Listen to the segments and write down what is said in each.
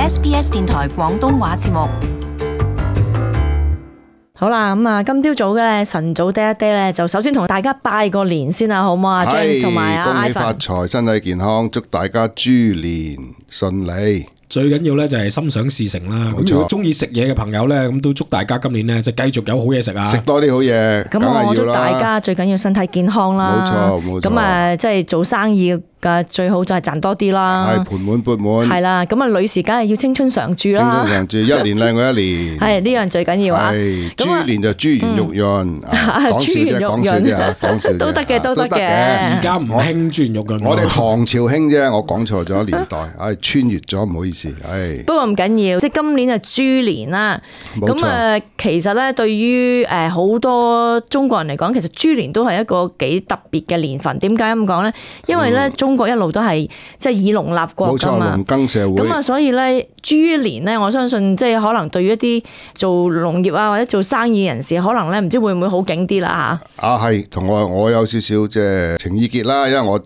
SBS 電台廣東話節目。好啦，咁啊，今朝早嘅晨早爹一爹咧，就首先同大家拜個年先啦，好唔好啊 ？James 同埋啊，恭喜發財，身體健康，祝大家豬年順利。最緊要咧就係心想事成啦。咁如果中意食嘢嘅朋友咧，咁都祝大家今年咧就繼續有好嘢食啊！食多啲好嘢，咁我祝大家最緊要身體健康啦。冇錯冇錯。咁啊，即係做生意嘅最好就係賺多啲啦。係盆滿缽滿。係啦，咁啊，女士梗係要青春常駐啦。青春常駐，一年靚過一年。係呢樣最緊要啊！係豬年就豬圓肉潤，講笑啫，都得嘅，都得嘅。而家唔興豬圓肉潤，我哋唐朝興啫，我講錯咗年代，穿越咗，唔好意思，不過唔緊要，即係今年就豬年啦。咁啊，其實咧對於好多中國人嚟講，其實豬年都係一個幾特別嘅年份。點解咁講咧？因為咧中國一路都係即係以農立國㗎嘛，冇錯，農耕社會。咁啊，所以咧豬年咧，我相信即係可能對於一啲做農業啊或者做生意人士，可能咧唔知會唔會好景啲啦嚇。係，同我有少少即係情意結啦，因為我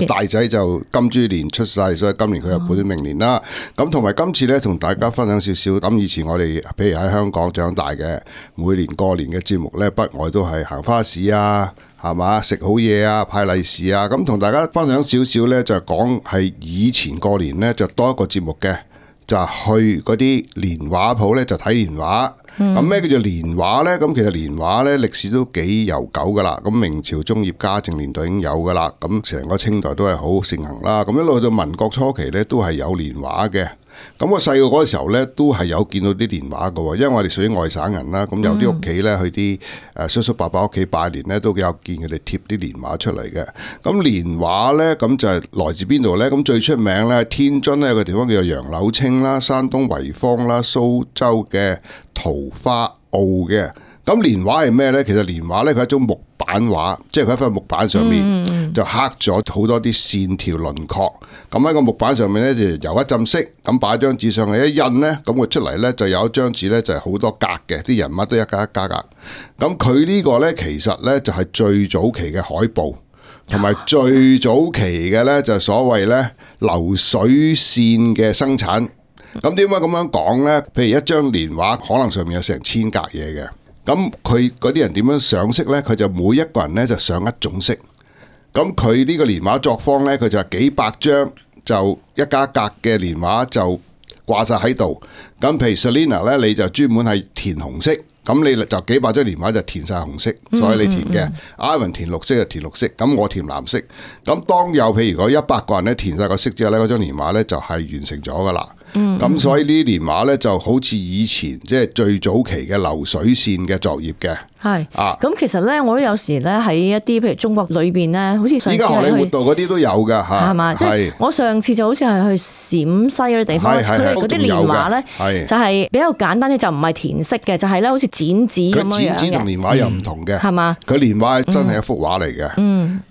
大仔就金豬年出世，所以今年佢又本命年啦。咁同埋今次咧，同大家分享少少。咁以前我哋譬如喺香港長大嘅，每年過年嘅節目咧，不外都係行花市啊，係嘛，食好嘢啊，派利是啊。咁同大家分享少少咧，就係講係以前過年咧就多一個節目嘅，就係去嗰啲年畫鋪咧就睇年畫。咁咩叫做年畫咧？咁其實年畫咧歷史都幾悠久噶啦。咁明朝中葉嘉靖年代已經有噶啦。咁成個清代都係好盛行啦。咁一路到民國初期咧都係有年畫嘅。咁我細個嗰個時候咧，都係有見到啲年畫嘅，因為我哋屬於外省人啦。咁有啲屋企咧，去啲叔叔伯伯屋企拜年咧，都有見佢哋貼啲年畫出嚟嘅。咁年畫咧，咁就係來自邊度咧？咁最出名咧，天津咧有個地方叫做楊柳青啦，山東濰坊啦，蘇州嘅桃花澳嘅。咁年畫係咩咧？其實年畫咧，佢係一種木板畫，即係佢喺塊木板上面就刻咗好多啲線條輪廓。咁喺個木板上面咧就油一浸色，咁擺張紙上去一印咧，咁佢出嚟咧就有一張紙咧就係好多格嘅，啲人物都一格一格格。咁佢呢個咧其實咧就係最早期嘅海報，同埋最早期嘅咧就係所謂咧流水線嘅生產。咁點解咁樣講咧？譬如一張年畫可能上面有成千格嘢嘅。咁佢嗰啲人點樣上色呢？佢就每一個人呢就上一種色。咁佢呢個年畫作坊呢，佢就係幾百張就一家格嘅年畫就掛晒喺度。咁譬如 Selina 呢，你就專門係填紅色，咁你就幾百張年畫就填晒紅色，所以你填嘅。Ivan 填綠色就填綠色，咁我填藍色。咁當有譬如嗰100個人呢填晒個色之後呢，嗰張年畫呢就係完成咗噶啦。咁所以呢啲年畫咧就好似以前即係最早期嘅流水線嘅作業嘅。係咁其實咧，我都有時咧喺一啲譬如中國裏邊咧，好似上次係去依家荷里活道嗰啲都有噶嚇，係嘛？即係我上次就好似係去陝西嗰啲地方，佢哋嗰啲年畫咧就係比較簡單啲，就唔係填色嘅，就係咧好似剪紙咁樣嘅。佢剪紙同年畫又唔同嘅，係嘛？佢年畫真係一幅畫嚟嘅。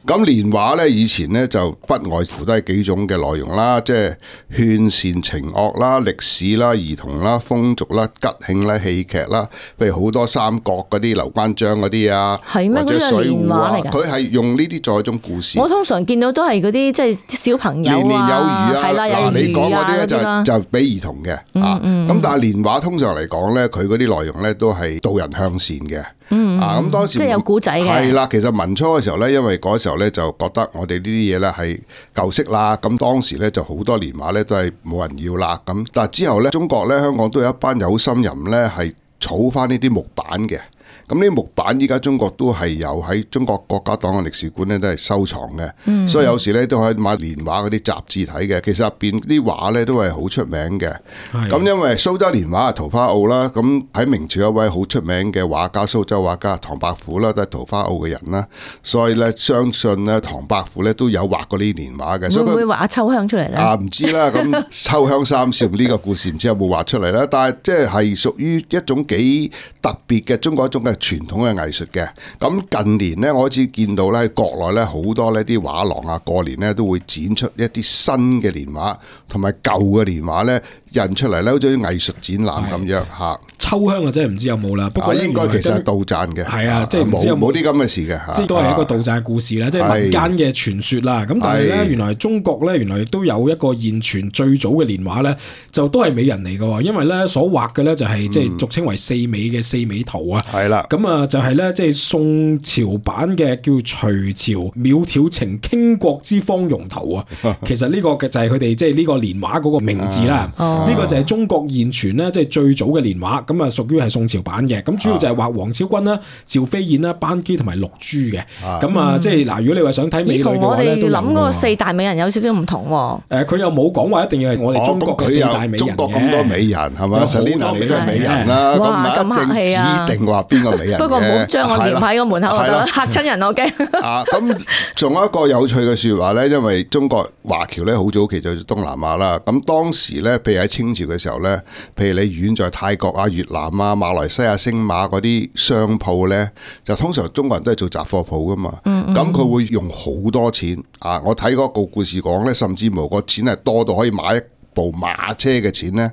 咁年畫咧以前咧就不外乎都係幾種嘅內容啦，即係勸善情惡啦、歷史啦、兒童啦、風俗啦、吉慶啦、戲劇啦，譬如好多三國嗰啲劉關張嗰啲啊，或者水滸啊，佢係用呢啲作一種故事。我通常見到都係嗰啲即係小朋友啊，年年有餘啊，係啦，有餘啊，你講嗰啲咧就俾兒童嘅咁但係年畫通常嚟講咧，佢嗰啲內容咧都係導人向善嘅。咁當時即係有古仔嘅。係啦，其實民初嘅時候咧，因為嗰時候咧就覺得我哋呢啲嘢咧係舊式啦，咁當時咧就好多年畫咧都係冇人要啦。咁但係之後咧，中國咧香港都有一班有心人咧係儲翻呢啲木板嘅。咁呢啲木板依家中國都係有喺中國國家檔案歷史館咧都係收藏嘅，所以有時咧都可以買年畫嗰啲雜誌睇嘅。其實入邊啲畫咧都係好出名嘅。咁因為蘇州年畫係桃花澳啦，咁喺明朝一位好出名嘅畫家，蘇州畫家唐伯虎啦，都係桃花澳嘅人啦，所以咧相信咧唐伯虎咧都有畫過呢啲年畫嘅。會唔會畫秋香出嚟咧？唔知啦，咁秋香三少呢個故事唔知有冇畫出嚟啦，但係即係屬於一種幾特別嘅中國一種嘅傳統嘅藝術嘅。咁近年咧，我開始見到咧喺國內咧好多呢啲畫廊啊，過年咧都會展出一啲新嘅年畫同埋舊嘅年畫咧印出嚟咧，好似啲藝術展覽咁樣嚇。秋香啊，真係唔知有冇啦。不過應該其實係杜撰嘅。係啊，即係唔知有冇啲咁嘅事嘅。即係都係一個杜撰故事啦，即係民間嘅傳說啦。咁但係咧，原來中國咧，原來亦都有一個現存最早嘅年畫咧，就都係美人嚟嘅。因為咧所畫嘅咧就係即係俗稱為四美嘅四美圖啊。係啦。咁啊就係咧即係宋朝版嘅叫隋朝苗條情傾國之芳容圖啊。其實呢個嘅就係佢哋即係呢個年畫嗰個名字啦。呢個就係中國現存咧即係最早嘅年畫。咁啊屬於係宋朝版嘅。咁主要就係畫王昭君啦、趙飛燕啦、班姬同埋陸珠嘅。咁啊即係嗱，如果你話想睇美女嘅話咧，都諗嗰個四大美人有少少唔同喎。佢又冇講話一定要係我哋中國嘅四大美人嘅。中國咁多美人係咪？Selina你都係美人啦，咁唔一定指定話邊個美人嘅。不過唔好將我黏喺個門口度嚇親人，我驚。咁仲有一個有趣嘅説話咧，因為中國華僑咧好早期就東南亞啦。咁當時咧，譬如喺清朝嘅時候咧，譬如你遠在泰國啊、越南啊、馬來西亞、星馬嗰啲商鋪咧，就通常中國人都係做雜貨鋪噶嘛。咁佢會用好多錢啊！我睇嗰個故事講咧，甚至乎個錢係多到可以買一部馬車嘅錢咧，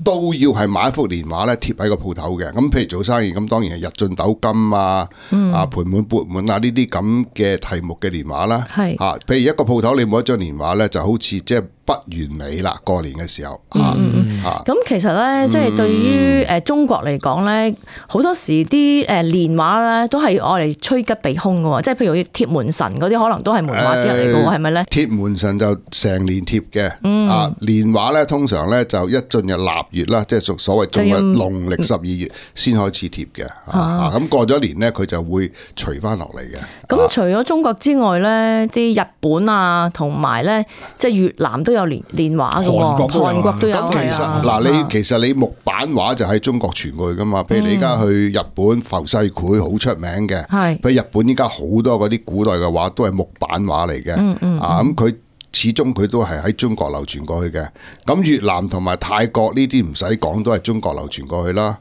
都要係買一幅年畫咧貼喺個鋪頭嘅。咁譬如做生意，咁當然係日進斗金啊、盆滿缽滿啊呢啲咁嘅題目嘅年畫啦。譬如一個鋪頭你冇一張年畫咧，就好似即係不完美啦。過年嘅時候，咁其實咧，即係對於中國嚟講咧，好多時啲年畫咧都係愛嚟趨吉避凶嘅喎。即係譬如貼門神嗰啲，可能都係門畫之一嚟嘅喎，係咪咧？貼門神就成年貼嘅，年畫咧通常咧就一進入臘月啦，即係所謂進入農曆12月先開始貼嘅。咁過咗年咧，佢就會除翻落嚟嘅。咁除咗中國之外咧，啲日本啊，同埋咧即係越南都有年畫嘅喎，韓國都有。咁其實你木版畫就喺中國傳過去噶嘛？譬如你而家去日本浮世繪好出名嘅，譬如日本依家好多嗰啲古代嘅畫都係木版畫嚟嘅。咁佢始終佢都係喺中國流傳過去嘅。咁越南同埋泰國呢啲唔使講，都係中國流傳過去啦。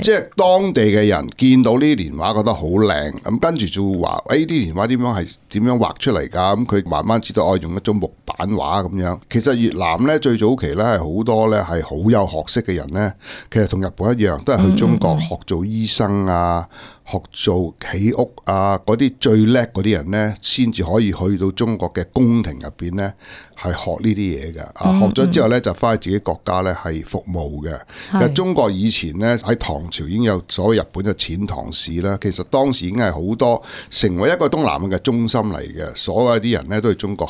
即係當地嘅人見到呢啲年畫覺得好靚，咁跟住就會話：呢啲年畫點樣畫出嚟㗎？咁佢慢慢知道用一種木版畫咁樣。其實越南咧最早期咧係好多咧係好有學識嘅人咧，其實同日本一樣，都係去中國學做醫生啊。學做起屋啊，嗰啲最叻嗰啲人咧，先至可以去到中國嘅宮廷入邊咧，係學呢啲嘢嘅。學咗之後咧，就翻去自己國家咧係服務嘅。其實中國以前咧喺唐朝已經有所謂日本嘅遣唐使啦，其實當時已經係好多成為一個東南亞嘅中心嚟嘅，所有啲人咧都係中國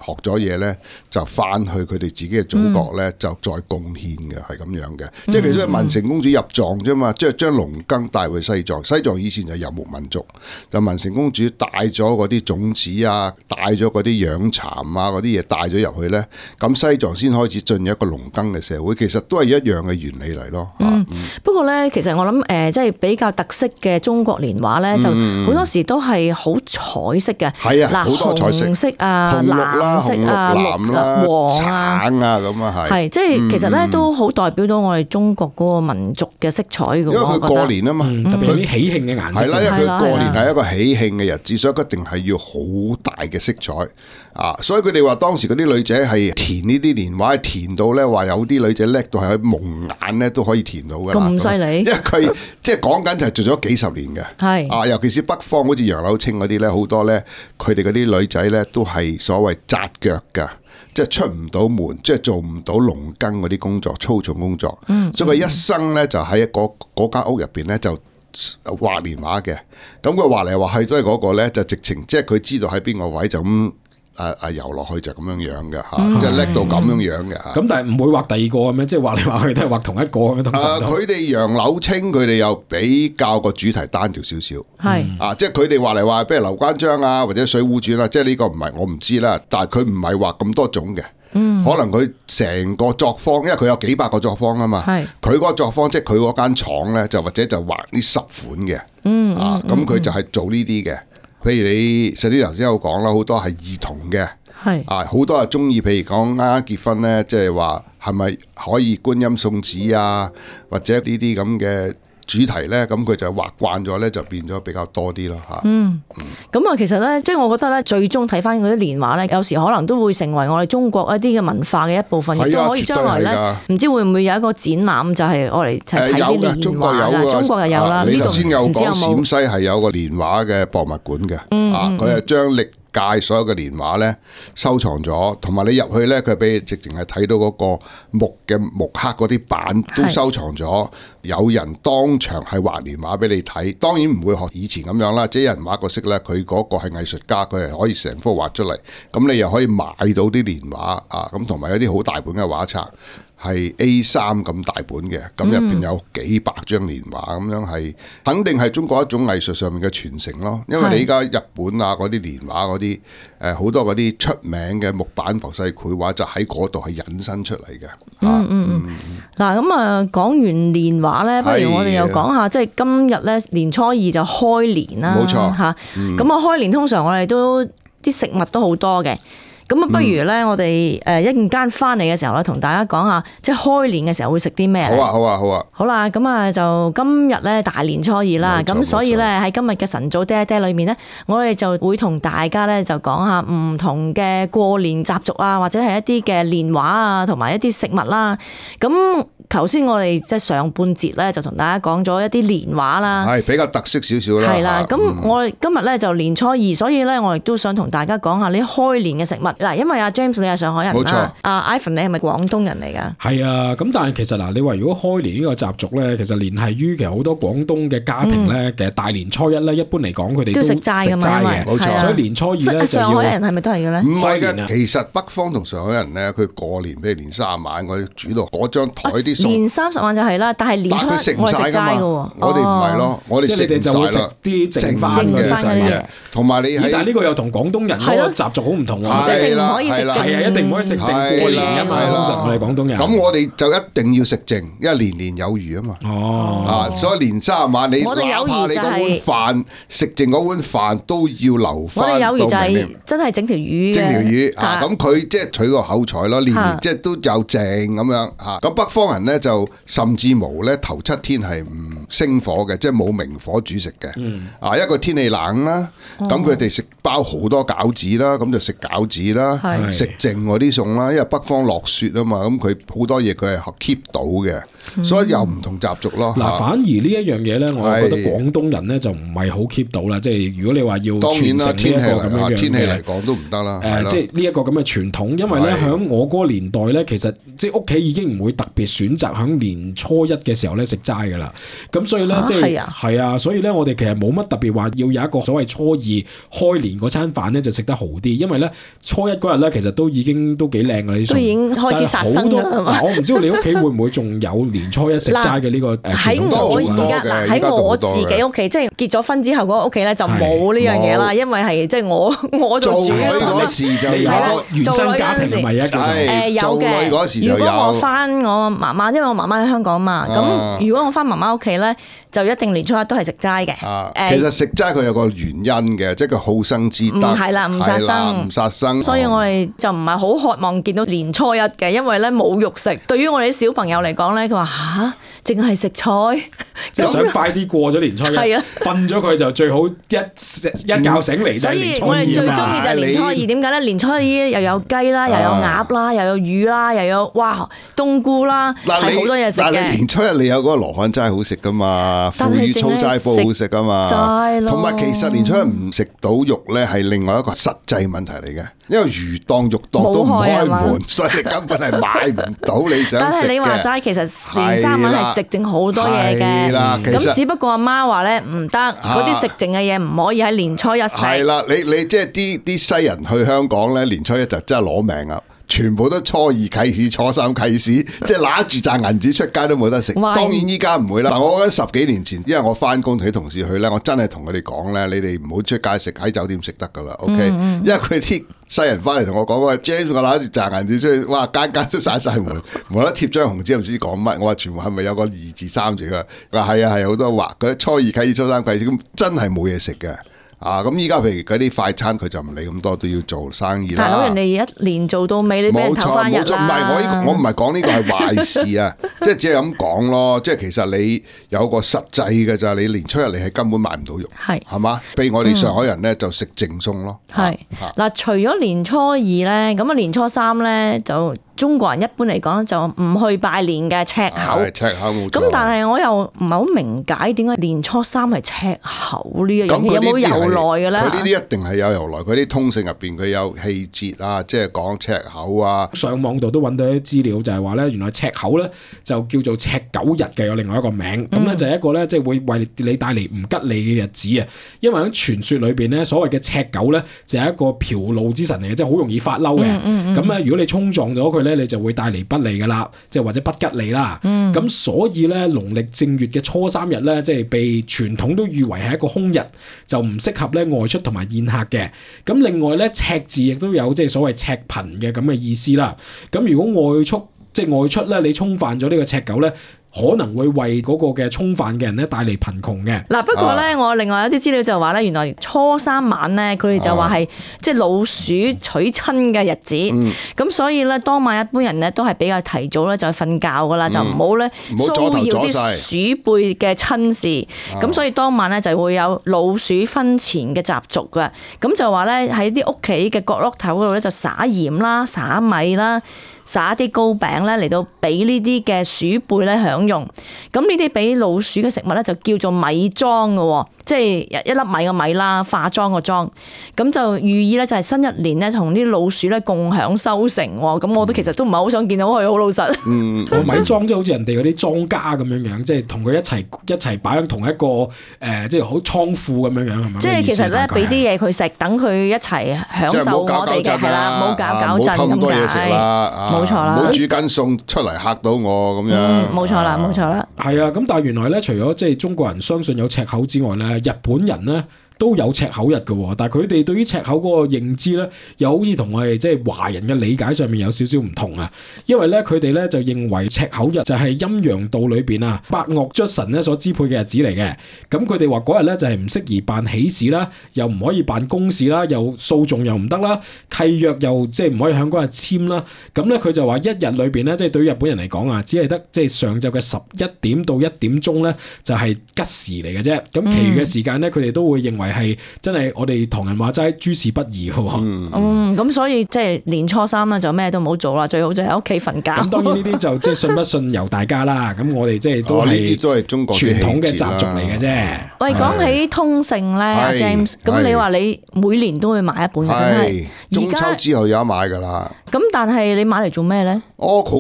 學咗嘢咧，就翻去佢哋自己嘅祖國咧，就再貢獻嘅，係咁樣嘅。即係其實文成公主入藏啫嘛，即係將農耕帶去西藏。西藏以前就遊牧民族，就文成公主帶咗嗰啲種子啊，帶咗嗰啲養蠶啊嗰啲嘢帶咗入去咧，咁西藏先開始進入一個農耕嘅社會。其實都係一樣嘅原理嚟咯。不過咧，其實我諗即係比較特色嘅中國年畫咧，就好多時都係好彩色嘅。係啊，好多彩色，紅色啊，藍色啊、綠啊、黃啊、橙啊咁啊係。即係其實咧都好代表到我哋中國嗰個民族嘅色彩嘅。因為佢過年啊嘛，特別啲喜慶嘅顏色。係啦，因為佢過年係一個喜慶嘅日子，所以一定係要好大嘅色彩啊！所以佢哋話當時嗰啲女仔係填呢啲年畫，填到咧話有啲女仔叻到係蒙眼咧都可以填到㗎啦。咁犀利！因為佢即係講緊就係做咗幾十年嘅。係尤其是北方好似楊柳青嗰啲咧，好多咧佢哋嗰啲女仔咧都係所謂紮腳㗎。即係出唔到門，即係做唔到農耕嗰啲工作，粗重工作。所以佢一生咧就喺嗰間屋入邊咧就畫年畫嘅。咁佢畫嚟畫去，所以嗰個咧就直情即係佢知道喺邊個位就咁游落去就咁樣樣嘅嚇，即係叻到咁樣樣嘅嚇。咁但係唔會畫第二個咁樣，即係畫嚟畫去都係畫同一個咁樣。通常佢哋楊柳青佢哋又比較個主題單調少少。係即係佢哋畫嚟畫，譬如劉關張啊，或者水滸傳啊，即係呢個唔係我唔知啦。但係佢唔係畫咁多種嘅。可能佢成個作坊，因為佢有幾百個作坊啊嘛。佢嗰個作坊即係佢嗰間廠咧，就或者就畫呢10款嘅。咁佢就係做呢啲嘅。譬如你Selina頭先有講啦，好多係兒童嘅，好多係中意，譬如講啱啱結婚咧，即係話係咪可以觀音送子啊，或者呢啲咁嘅主題咧，咁佢就畫慣咗咧，就變咗比較多啲咯嚇。咁啊，其實咧，即係我覺得咧，最終睇翻嗰啲年畫咧，有時可能都會成為我哋中國一啲嘅文化嘅一部分，亦都可以將來咧，唔知會唔會有一個展覽，就係我哋睇啲年畫中國有中國又有啦。你頭先有講陝西係有個年畫嘅博物館嘅，佢係將歷屆所有嘅年畫咧收藏咗，同埋你入去咧，佢俾你直情係睇到嗰個木刻嗰啲板都收藏咗，有人當場係畫年畫俾你睇。當然唔會學以前咁樣啦，即係有人畫個色咧，佢嗰個係藝術家，佢係可以成幅畫出嚟，咁你又可以買到啲年畫啊，咁同埋有啲好大本嘅畫冊。係 A3 咁大本嘅，咁入邊有幾百張年畫，咁樣係肯定係中國一種藝術上面嘅傳承咯。因為你依家日本啊嗰啲年畫嗰啲好多嗰啲出名嘅木板浮世繪畫就喺嗰度係引申出嚟嘅。嗱咁啊，講完年畫咧，不如我哋又講下，即係今日咧年初二就開年啦。冇錯嚇，咁啊開年通常我哋都啲食物都好多嘅。咁啊，不如咧，我哋一陣間翻嚟嘅時候咧，同大家講下，即係開年嘅時候會食啲咩？好啊，好啊，好啊！好啦，咁啊，就今日咧大年初二啦，咁所以咧喺今日嘅晨早爹爹裏面咧，我哋就會同大家咧就講下唔同嘅過年習俗啊，或者係一啲嘅年畫啊，同埋一啲食物啦。咁頭先我哋即係上半節咧，就同大家講咗一啲年畫啦，係比較特色少少啦。係啦，咁我哋今日咧就年初二，所以咧我亦都想同大家講下呢開年嘅食物。嗱，因為阿 James 你係上海人冇錯啦，阿 Ivan 你係咪廣東人嚟㗎？係啊，咁但係其實嗱，你話如果開年呢個習俗咧，其實聯繫於其實好多廣東嘅家庭咧，其實大年初一咧，一般嚟講佢哋都食齋㗎嘛，冇錯。所以年初二咧就要上海人係咪都係嘅咧？唔係嘅，其實北方同上海人咧，佢過年譬如年30晚，我哋煮到嗰張台啲餸。年30晚就係啦，但係年初一我哋食齋㗎喎。我哋唔係咯，我哋食唔晒啦，啲剩翻嘅嘢。同埋你但係呢個又同廣東人嗰個習俗好唔同喎，即係一定唔可以食剩，係啊，一定唔可以食剩過年㗎嘛。通常我哋廣東人。咁我哋就一定要食剩，因為年年有餘啊嘛。所以年30晚你哪怕你嗰碗飯食剩嗰碗飯都要留翻。我哋有餘就係真係整條魚嘅。整條魚咁佢即係取個口彩咯，年年即係都有剩咁樣嚇。咁北方人咧就甚至無咧頭7天係唔生火嘅，即係冇明火煮食嘅。一個天氣冷啦，咁佢哋食包好多餃子啦，咁就食餃子啦，食剩嗰啲餸啦。因為北方落雪啊嘛，咁佢好多嘢佢係 keep 到嘅，所以有唔同習俗咯。嗱，反而呢一樣嘢咧，我覺得廣東人咧就唔係好 keep 到啦。即係如果你話要傳承呢一個咁樣嘅天氣嚟講都唔得啦。即係呢一個咁嘅傳統，因為咧喺我嗰個年代咧，其實即係屋企已經唔會特別選擇喺年初一嘅時候咧食齋噶啦。咁所以咧即係係啊，所以咧我哋其實冇乜特別話要有一個所謂初二開年嗰餐飯咧就食得好啲，因為咧初一嗰日咧其實都已經都幾靚噶啦啲餸，都已經開始殺生㗎啦。我唔知道你屋企會唔會仲有年初一食齋嘅呢個喺我而家嗱喺我自己屋企，即係結咗婚之後嗰個屋企咧就冇呢樣嘢啦，因為係即係我做主嗰時就有原生家庭係咪啊？有嘅。如果我翻我媽媽，因為我媽媽喺香港嘛，咁如果我翻媽媽屋企咧，就一定年初一都係食齋嘅。其實食齋佢有個原因嘅，即係佢好生之德。係啦，唔殺生，唔殺生。所以我哋就唔係好渴望見到年初一嘅，因為咧冇肉食。對於我哋啲小朋友嚟講咧，佢話吓，淨係食菜，就想快啲過咗年初一，瞓咗佢就最好一覺醒嚟。所以我哋最中意就係年初二，點解咧？年初二又有雞啦，又有鴨啦，又有魚啦，又有哇冬菇啦，係好多嘢食嘅。但係年初一你有嗰個羅漢齋好食噶嘛，腐乳粗齋煲好食噶嘛，同埋其實年初一唔食到肉咧係另外一個實際問題嚟嘅，因為魚檔肉檔都唔開門，所以你根本係買唔到你想食嘅。但係你話齋，其實年3晚係食剩好多嘢嘅，咁只不過阿媽話咧唔得，嗰啲食剩嘅嘢唔可以喺年初一食。係啦，你即係啲西人去香港咧，年初一就真係攞命啊！全部都初二啟市，初3啟市，即係揦住賺銀紙出街都冇得食。當然依家唔會啦。嗱，我覺得10幾年前，因為我翻工同啲同事去咧，我真係同佢哋講咧，你哋唔好出街食，喺酒店食得噶啦。OK，因為佢啲西人翻嚟同我講話 ，James 我揦住賺銀紙出去，哇間都閂晒門，冇得貼張紅紙，唔知講乜。我話全部係咪有個2字3字㗎？佢話係啊係好多畫。佢初二啟市，初3啟市，咁真係冇嘢食嘅。咁依家譬如嗰啲快餐，佢就唔理咁多，都要做生意啦。大佬，人哋一年做到尾，你俾人投翻日啦。冇錯，唔係我唔係講呢個係壞事啊，即係只係咁講咯。即係其實你有個實際嘅咋，你年初一嚟係根本買唔到肉，係嘛？譬如我哋上海人咧就食淨餸咯。係嗱，除咗年初二咧，咁啊年初三咧就。中國人一般嚟講就唔去拜年嘅赤口，咁但係我又唔係好明解點解年初三係赤口呢一樣嘢，有冇由來嘅咧？佢呢啲一定係有由來，佢啲通勝入邊佢有氣節啊，即係講赤口啊。上網度都揾到啲資料，就係話咧，原來赤口咧就叫做赤狗日嘅，有另外一個名。咁咧就係一個咧，即係會為你帶嚟唔吉利嘅日子啊。因為喺傳說裏邊咧，所謂嘅赤狗咧就係一個嫖怒之神嚟嘅，即係好容易發嬲嘅。咁咧，如果你衝撞咗佢咧，你就會帶嚟不利噶啦，即係或者不吉利啦。咁所以咧，農曆正月嘅初三日咧，即係被傳統都譽為係一個凶日，就唔適合咧外出同埋宴客嘅。咁另外咧，赤字亦都有即係所謂赤貧嘅咁嘅意思啦。咁如果外出咧，你衝犯咗呢個赤狗咧，可能會為嗰個嘅衝犯嘅人咧帶嚟貧窮嘅。嗱，不過咧，我另外有啲資料就話咧，原來初三晚咧，佢哋就話係即係老鼠娶親嘅日子。咁所以咧，當晚一般人咧都係比較提早咧就瞓覺噶啦，就唔好咧騷擾啲鼠輩嘅親事。咁所以當晚咧就會有老鼠婚前嘅習俗噶。咁就話咧喺啲屋企嘅角落頭嗰度咧就撒鹽啦、撒米啦。撒啲糕餅咧嚟到俾呢啲嘅鼠輩咧享用，咁呢啲俾老鼠嘅食物咧就叫做米妝嘅，即係一粒米嘅米啦，化妝個妝，咁就寓意咧就係新一年咧同啲老鼠咧共享收成。咁我都其實都唔係好想見到佢，好老實。米妝即係好似人哋嗰啲莊家咁樣樣，即係同佢一齊擺喺同一個即係好倉庫咁樣樣係咪？即係其實咧俾啲嘢佢食，等佢一齊享受我哋嘅係啦，冇搞震咁解。冇錯啦，唔好煮緊餸出嚟嚇到我咁樣。冇錯啦，冇錯啦。係啊，咁但係原來咧，除咗即係中國人相信有赤口之外咧，日本人咧都有赤口日嘅，但係佢哋對於赤口嗰個認知咧，又好似同我哋即係華人嘅理解上面有少少唔同啊。因為咧，佢哋咧就認為赤口日就係陰陽道裏邊啊百惡卒神咧所支配嘅日子嚟嘅。咁佢哋話嗰日咧就係唔適宜辦喜事啦，又唔可以辦公事啦，又訴訟又唔得啦，契約又即係唔可以響嗰日簽啦。咁咧佢就話一日裏邊咧，即係對於日本人嚟講啊，只係得即係上晝嘅11點到1點鐘咧就係吉時嚟嘅啫。咁其餘嘅時間咧，佢哋都會認為係真係我哋唐人話齋諸事不宜嘅。咁所以即係年初三咧就咩都唔好做啦，最好就喺屋企瞓覺。咁當然呢啲就即係信不信由大家啦。咁我哋即係都係中國傳統嘅習俗嚟嘅啫。喂，講起通勝咧 ，James， 咁你話你每年都會買一本嘅，真係中秋之後有得買噶啦。咁但係你買嚟做咩咧？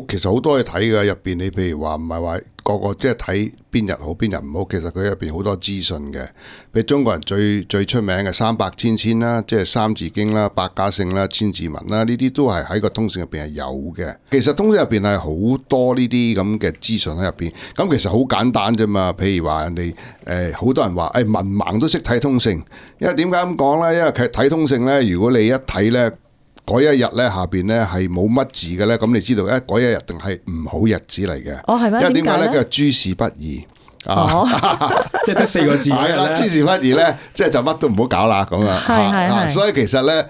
其實好多嘢睇嘅，入邊你譬如話唔係話個即係睇邊日好邊日唔好，其實佢入邊好多資訊嘅。譬如中國人最出名嘅三百千千啦，即係三字經啦、百家姓啦、千字文啦，呢啲都係喺個通勝入邊係有嘅。其實通勝入邊係好多呢啲咁嘅資訊喺入邊。咁其實好簡單啫嘛。譬如話人哋好多人話文盲都識睇通勝，因為點解咁講咧？因為睇通勝咧，如果你一睇咧。嗰一日咧下邊咧係冇乜字嘅咧，咁你知道嗰一日定係唔好日子嚟嘅。係咩？因為點解咧？佢係諸事不宜。即係得4個字。係啦，諸事不宜咧，即係就乜都唔好搞啦咁啊。所以其實咧，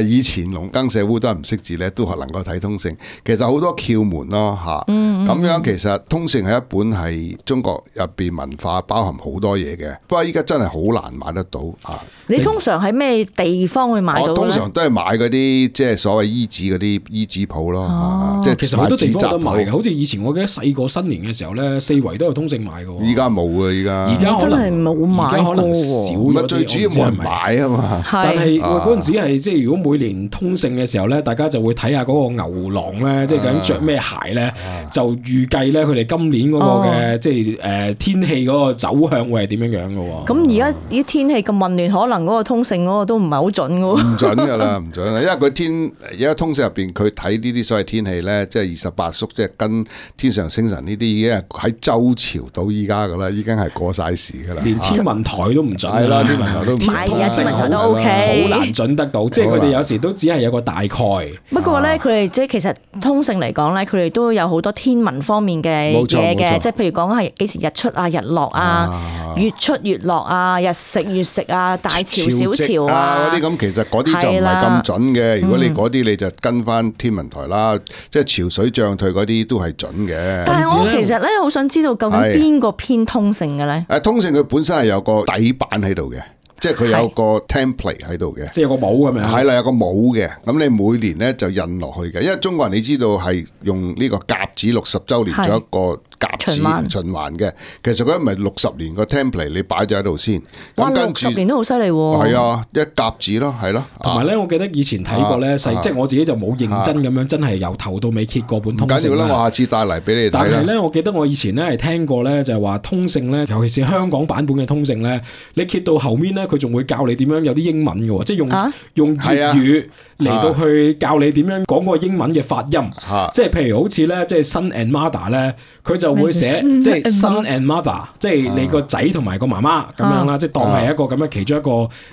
以前農耕社會都係唔識字咧，都係能夠睇通勝。其實好多竅門咯嚇。咁樣其實通勝係一本係中國入邊文化包含好多嘢嘅。不過依家真係好難買得到啊！你通常喺咩地方會買到咧？我通常都係買嗰啲即係所謂衣紙嗰啲衣紙鋪咯。即係其實好多地方有得賣嘅，好似以前我記得細個新年嘅時候咧，四圍都有通勝賣嘅。依家冇啊！而家真係冇買過，而家可能少咗。最主要冇人買啊嘛。但係嗰陣時係即係如果每年通勝嘅時候咧，大家就會睇下嗰個牛郎咧，即係究竟着咩鞋咧，就預計咧佢哋今年嗰個嘅即係天氣嗰個走向會係點樣樣嘅。咁而家啲天氣咁混亂，可能嗰個通勝嗰個都唔係好準嘅。唔準㗎啦，唔準啦，因為佢而家通勝入邊佢睇呢啲所謂天氣咧，即係28宿，即係跟天上星辰呢啲已經係喺周朝到依家㗎啦，已經係過晒時㗎啦。連天文台都唔準。係啦，天文台都唔準。天文台都 OK， 好難準得到。即係佢哋有時都只係有個大概。不過咧，佢哋即係其實通勝嚟講咧，佢哋都有好多天文文方面嘅嘢嘅，即係譬如講係幾時日出啊、日落啊、月出月落啊、日食月食啊、大潮小潮啊嗰啲咁，其實嗰啲就唔係咁準嘅。如果你嗰啲你就跟翻天文台啦，即係潮水漲退嗰啲都係準嘅。但係我其實咧好想知道究竟邊個偏通勝嘅咧？通勝佢本身係有個底板喺度嘅。即係佢有個 template 喺度嘅，即係有個帽咁樣。係啦，有個帽嘅。咁你每年咧就印落去嘅，因為中國人你知道係用呢個甲子60週年做一個甲子循環嘅。其實佢唔係60年個 template，你擺咗喺度先。哇，60年都好犀利喎！係啊，一甲子咯，係咯。同埋咧，我記得以前睇過咧，即係我自己就冇認真咁樣，真係由頭到尾揭過本通勝。唔緊要啦，我下次帶嚟俾你睇。但係咧，我記得我以前咧係聽過咧，就係話通勝咧，尤其是香港版本嘅通勝咧，你揭到後面咧，佢仲會教你點樣有啲英文嘅喎，即係用粵語嚟到去教你點樣講個英文嘅發音。即係譬如好似咧，即係 son and mother 咧，佢就會寫即係 son and mother， 即係你個仔同埋個媽媽咁樣啦，即係當係一個咁樣其中一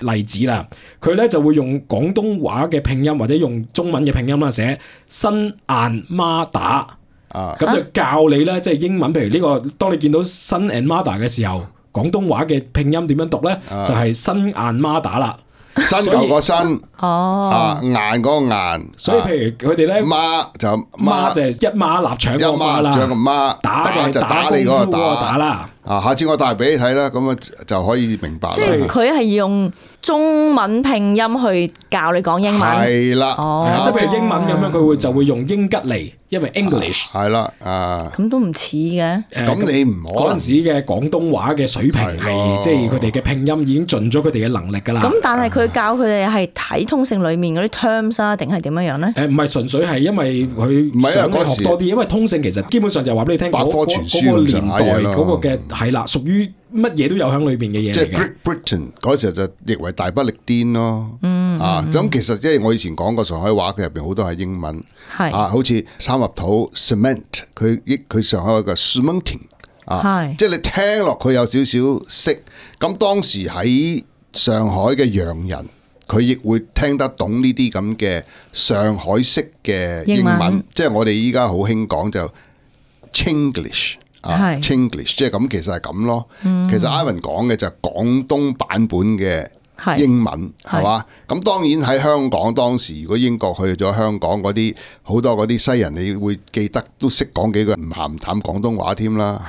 個例子啦。佢咧就會用廣東話嘅拼音或者用中文嘅拼音啦，寫 son and mother， 咁就教你咧，即係英文。譬如呢個，當你見到 son and mother 嘅時候，廣東話嘅拼音點樣讀咧？就係新顏孖打啦，新舊個新，顏嗰個顏。所以譬如佢哋咧，孖就係一孖臘腸個孖啦，個孖，打就係打功夫嗰個打啦。下次我帶俾你睇啦，咁啊就可以明白啦。即係佢係用中文拼音去教你講英文。係啦，即係譬如英文咁樣，佢就會用英吉利，因為 English 係啦，咁都唔似嘅。咁你唔可能嗰陣時嘅廣東話嘅水平係，即係佢哋嘅拼音已經盡咗佢哋嘅能力㗎啦。咁但係佢教佢哋係睇通勝裡面嗰啲 terms 啊，定係點樣樣咧？唔係純粹係因為佢想你學多啲，因為通勝其實基本上就係話俾你聽，百科全書嗰個年代嗰個嘅係啦，屬於乜嘢都有喺裏邊嘅嘢嚟嘅。即係 Great Britain 嗰時候就譯為大不列顛咯。咁其實即係我以前講過上海話，佢入邊好多係英文。好似三合土 cement， 佢上海話嘅 cementing。即係你聽落佢有少少識。咁當時喺上海嘅洋人，佢亦會聽得懂呢啲咁嘅上海式嘅英文。即係我哋依家好興講就 Chinglish。Chinglish 即係咁，其實係咁咯。其實 Ivan 講嘅就係廣東版本嘅英文，係嘛？咁當然喺香港當時，如果英國去咗香港嗰啲好多嗰啲西人，你會記得都識講幾句唔鹹唔淡廣東話添啦。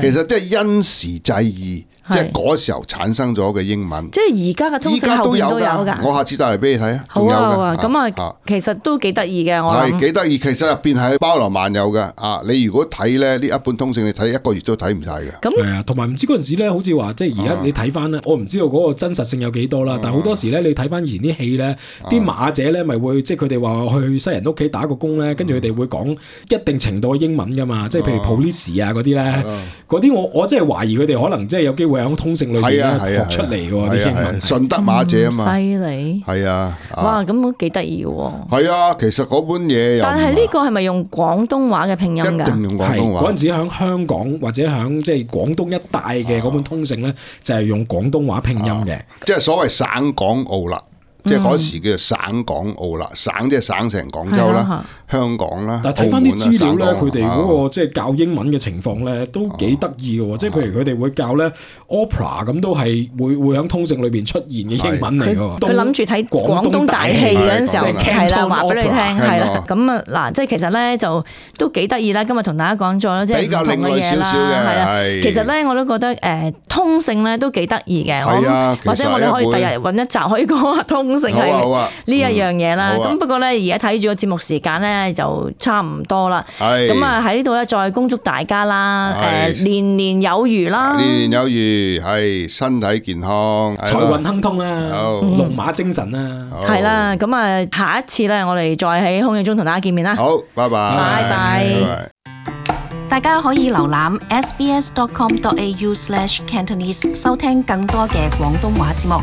其實即係因時制宜。即係嗰時候產生咗嘅英文，即係而家嘅通勝後邊都有㗎。我下次帶嚟俾你睇啊！好啊，咁啊，其實都幾得意嘅。我諗係幾得意，其實入邊係包羅萬有嘅。你如果睇咧呢一本通勝，你睇一個月都睇唔晒嘅。咁係啊，同埋唔知嗰陣時咧，好似話即係而家你睇翻咧，我唔知道嗰個真實性有幾多啦。但係好多時咧，你睇翻以前啲戲咧，啲馬姐咧咪會即係佢哋話去西人屋企打個工咧，跟住佢哋會講一定程度嘅英文㗎嘛。即係譬如 police 啊嗰啲咧，嗰啲我真係懷疑佢哋可能即係有機會喺通勝裏邊學出嚟嘅啲英文，順德馬姐啊嘛，犀利係啊！哇，咁都幾得意嘅。係啊，其實嗰本嘢，但係呢個係咪用廣東話嘅拼音㗎？一定用廣東話。嗰陣時喺香港或者喺即係廣東一帶嘅嗰本通勝咧，就係用廣東話拼音嘅，即係所謂省港澳啦。即係嗰時叫做省港澳啦，省即係省成廣州啦、香港啦。但係睇翻啲資料咧，佢哋嗰個即係教英文嘅情況咧，都幾得意嘅喎。即係譬如佢哋會教咧 opera 咁，都係會喺通勝裏邊出現嘅英文嚟嘅喎。佢諗住睇廣東大戲嗰陣時候，係啦，話俾你聽，係啦。咁啊嗱，即係其實咧就都幾得意啦。今日同大家講咗啦，即係唔同嘅嘢啦。係啊，其實咧我都覺得通勝咧都幾得意嘅。或者我哋可以第日揾一集可以講下通勝係呢一樣嘢啦。咁不過咧而家睇住個節目時間咧就差唔多啦。咁啊喺呢度咧再恭祝大家啦，年年有餘啦，年年有餘，係身體健康，財運亨通啦，龍馬精神啦，係啦。咁啊下一次咧我哋再喺空氣中同大家見面啦。好，拜拜，拜拜。大家可以瀏覽 sbs.com.au/cantonese 收聽更多嘅廣東話節目。